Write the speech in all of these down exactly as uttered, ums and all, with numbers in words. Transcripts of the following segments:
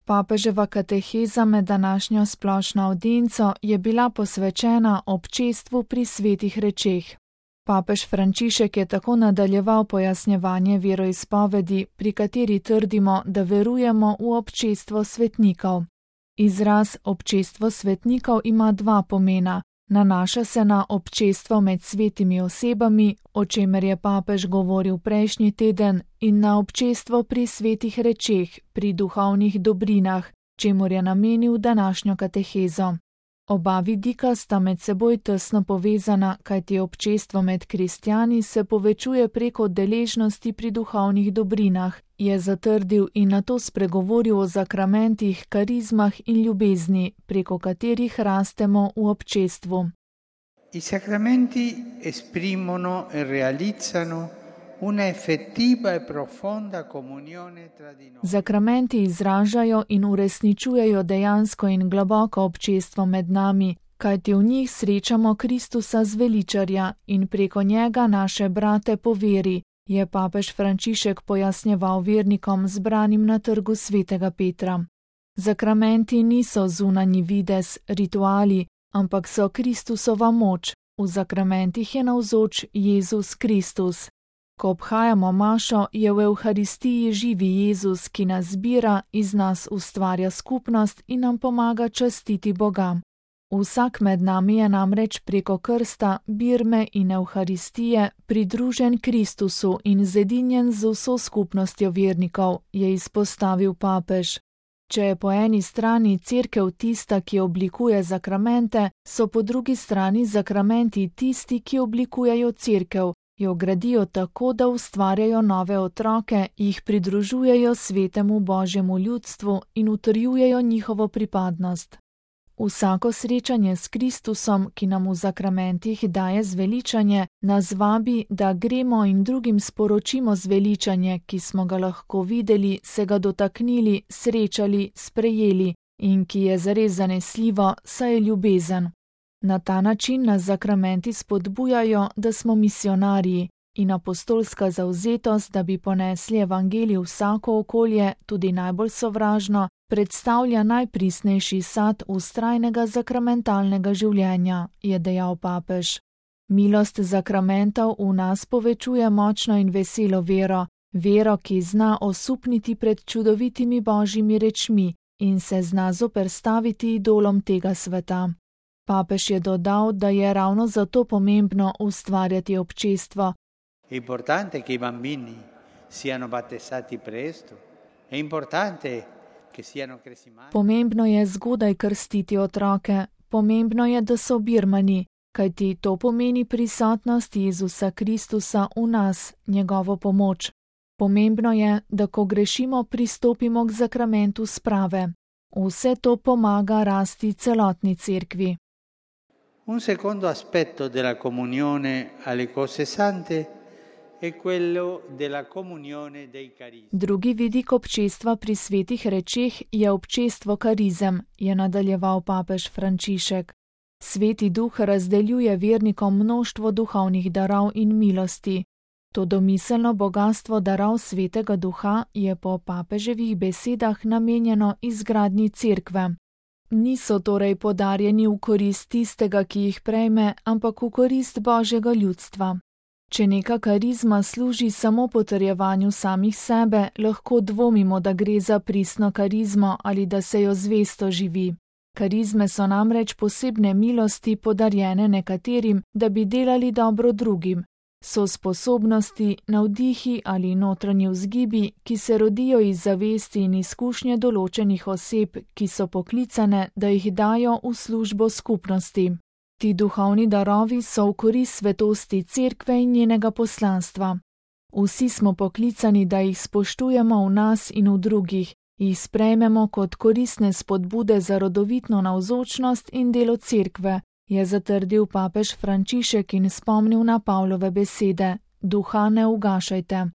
Papeževa kateheza med današnjo splošno avdienco je bila posvečena občestvu pri svetih rečeh. Papež Frančišek je tako nadaljeval pojasnjevanje veroizpovedi, pri kateri trdimo, da verujemo v občestvo svetnikov. Izraz občestvo svetnikov ima dva pomena. Nanaša se na občestvo med svetimi osebami, o čemer je papež govoril prejšnji teden, in na občestvo pri svetih rečeh, pri duhovnih dobrinah, čemur je namenil današnjo katehezo. Oba vidika sta med seboj tesno povezana, kajti občestvo med kristjani se povečuje preko deležnosti pri duhovnih dobrinah, je zatrdil in nato spregovoril o zakramentih, karizmah in ljubezni, preko katerih rastemo v občestvu. I sacramenti esprimono e realizzano una effettiva e profonda comunione tra di noi. Zakramenti izražajo in uresničujejo dejansko in globoko občestvo med nami, kajti v njih srečamo Kristusa zveličarja in preko njega naše brate po veri, je papež Frančišek pojasnjeval vernikom zbranim na trgu svetega Petra. Zakramenti niso zunanji videz, rituali, ampak so Kristusova moč. V zakramentih je navzoč Jezus Kristus. Ko obhajamo mašo, je v Evharistiji živi Jezus, ki nas zbira, iz nas ustvarja skupnost in nam pomaga častiti Boga. Vsak med nami je namreč preko krsta, birme in Evharistije pridružen Kristusu in zedinjen z vso skupnostjo vernikov, je izpostavil papež. Če je po eni strani cerkev tista, ki oblikuje zakramente, so po drugi strani zakramenti tisti, ki oblikujejo cerkev, jo gradijo tako, da ustvarjajo nove otroke, jih pridružujejo svetemu Božjemu ljudstvu in utrjujejo njihovo pripadnost. Vsako srečanje s Kristusom, ki nam v zakramentih daje zveličanje, nas vabi, da gremo in drugim sporočimo zveličanje, ki smo ga lahko videli, se ga dotaknili, srečali, sprejeli in ki je zares zanesljivo, saj je ljubezen. Na ta način nas zakramenti spodbujajo, da smo misionarji in apostolska zavzetost, da bi ponesli evangelij v vsako okolje, tudi najbolj sovražno, predstavlja najpristnejši sad vztrajnega zakramentalnega življenja, je dejal papež. Milost zakramentov v nas povečuje močno in veselo vero, vero, ki zna osupniti pred čudovitimi božjimi rečmi in se zna zoperstaviti idolom tega sveta. Papež je dodal, da je ravno zato pomembno ustvarjati občestvo. È importante che i bambini siano battezzati presto. È importante che siano kresimani. Pomembno je zgodaj krstiti otroke, pomembno je, da so birmani, kajti to pomeni prisotnost Jezusa Kristusa v nas, njegovo pomoč. Pomembno je, da ko grešimo, pristopimo k zakramentu sprave. Vse to pomaga rasti celotni cerkvi. Un secondo aspetto della comunione alle cose sante è quello della comunione dei carismi. Drugi vidik občestva pri svetih rečeh je občestvo karizem, je nadaljeval papež Frančišek. Sveti duh razdeljuje vernikom mnoštvo duhovnih darov in milosti. To domiselno bogastvo darov svetega duha je po papeževih besedah namenjeno izgradnji cerkve. Niso torej podarjeni v korist tistega, ki jih prejme, ampak v korist Božjega ljudstva. Če neka karizma služi samo potrjevanju samih sebe, lahko dvomimo, da gre za pristno karizmo ali da se jo zvesto živi. Karizme so namreč posebne milosti podarjene nekaterim, da bi delali dobro drugim. So sposobnosti, navdihi ali notranji vzgibi, ki se rodijo iz zavesti in izkušnje določenih oseb, ki so poklicane, da jih dajo v službo skupnosti. Ti duhovni darovi so v korist svetosti cerkve in njenega poslanstva. Vsi smo poklicani, da jih spoštujemo v nas in v drugih, jih sprejmemo kot koristne spodbude za rodovitno navzočnost in delo cerkve, je zatrdil papež Frančišek in spomnil na Pavlove besede: duha ne ugašajte.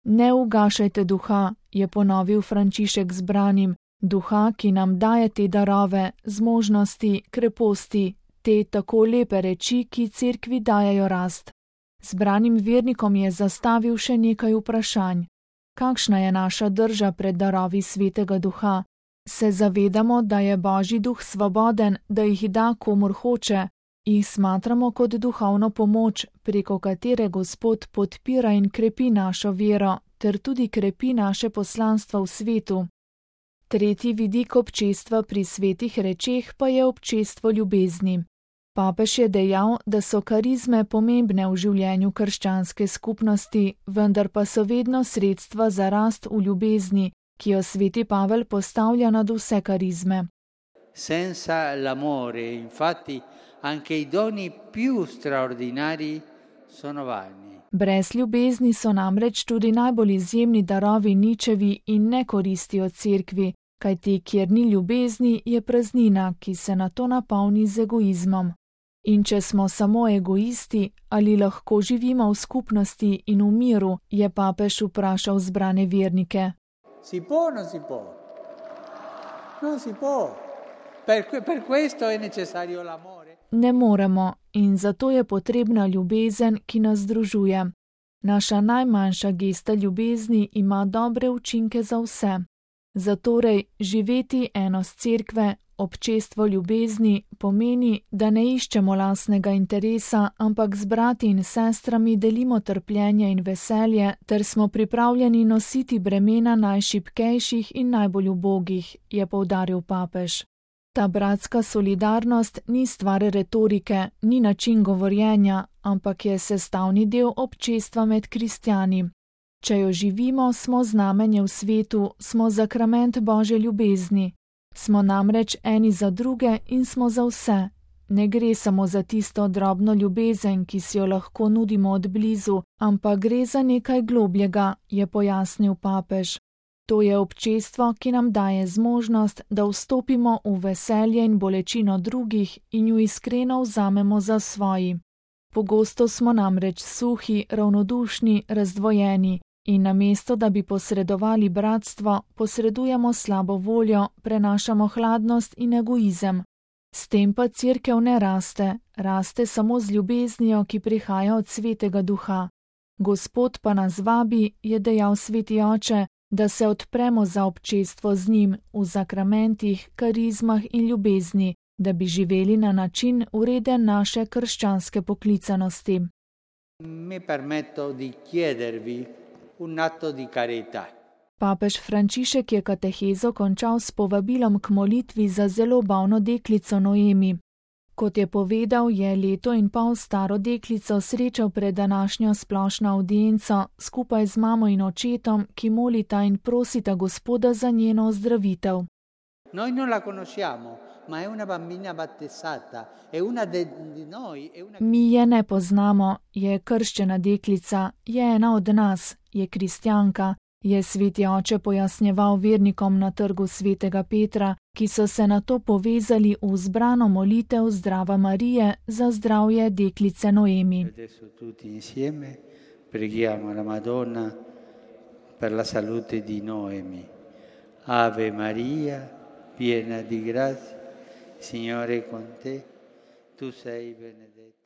Ne ugašajte duha, je ponovil Frančišek zbranim, duha, ki nam daje te darove, zmožnosti, kreposti, te tako lepe reči, ki cerkvi dajajo rast. Zbranim vernikom je zastavil še nekaj vprašanj. Kakšna je naša drža pred darovi svetega duha? se zavedamo, da je Božji duh svoboden, da jih da komur hoče, jih smatramo kot duhovno pomoč, preko katere Gospod podpira in krepi našo vero, ter tudi krepi naše poslanstvo v svetu. Tretji vidik občestva pri svetih rečeh pa je občestvo ljubezni. Papež je dejal, da so karizme pomembne v življenju krščanske skupnosti, vendar pa so vedno sredstva za rast v ljubezni, ki jo sveti Pavel postavlja nad vse karizme. Senza l'amore, infatti, anche i doni più straordinari sono vani. Brez ljubezni so namreč tudi najbolj izjemni darovi ničevi in ne koristijo cerkvi, kajti kjer ni ljubezni, je praznina, ki se nato napolni z egoizmom. In če smo samo egoisti, ali lahko živimo v skupnosti in v miru, je papež vprašal zbrane vernike. Si può o non si può? Non si può. Per, per questo è necessario l'amore. Ne moremo in zato je potrebna ljubezen, ki nas združuje. Naša najmanjša gesta ljubezni ima dobre učinke za vse. Zatorej živeti enost cerkve, občestvo ljubezni, pomeni, da ne iščemo lastnega interesa, ampak z brati in sestrami delimo trpljenje in veselje, ter smo pripravljeni nositi bremena najšibkejših in najbolj ubogih, je poudaril papež. Ta bratska solidarnost ni stvar retorike, ni način govorjenja, ampak je sestavni del občestva med kristjani. Če jo živimo, smo znamenje v svetu, smo zakrament Božje ljubezni. Smo namreč eni za druge in smo za vse. Ne gre samo za tisto drobno ljubezen, ki si jo lahko nudimo od blizu, ampak gre za nekaj globljega, je pojasnil papež. To je občestvo, ki nam daje zmožnost, da vstopimo v veselje in bolečino drugih in ju iskreno vzamemo za svoji. Pogosto smo namreč suhi, ravnodušni, razdvojeni in namesto, da bi posredovali bratstvo, posredujemo slabo voljo, prenašamo hladnost in egoizem. S tem pa cerkev ne raste, raste samo z ljubeznijo, ki prihaja od svetega duha. Gospod pa nas vabi, je dejal sveti oče, da se odpremo za občestvo z njim v zakramentih, karizmah in ljubezni, da bi živeli na način ureden naše krščanske poklicanosti. Mi permetto di chiedervi un atto di carità. Papež Frančišek je katehezo končal s povabilom k molitvi za zelo bolno deklico Noemi. Kot je povedal, je leto in pol staro deklico srečal pred današnjo splošno avdienco skupaj z mamo in očetom, ki molita in prosita Gospoda za njeno ozdravitev. Noi non la conosciamo, ma è una bambina battezzata, è una di noi, è una... Mi je ne poznamo, je krščena deklica, je ena od nas, je kristjanka, je sveti oče pojasnjeval vernikom na trgu svetega Petra, ki so se nato povezali v zbrano molitev Zdrava Marije za zdravje deklice Noemi. Adesso tutti insieme preghiamo la Madonna per la salute di Noemi. Ave Maria, piena di grazia, Signore è con te, tu sei benedetta.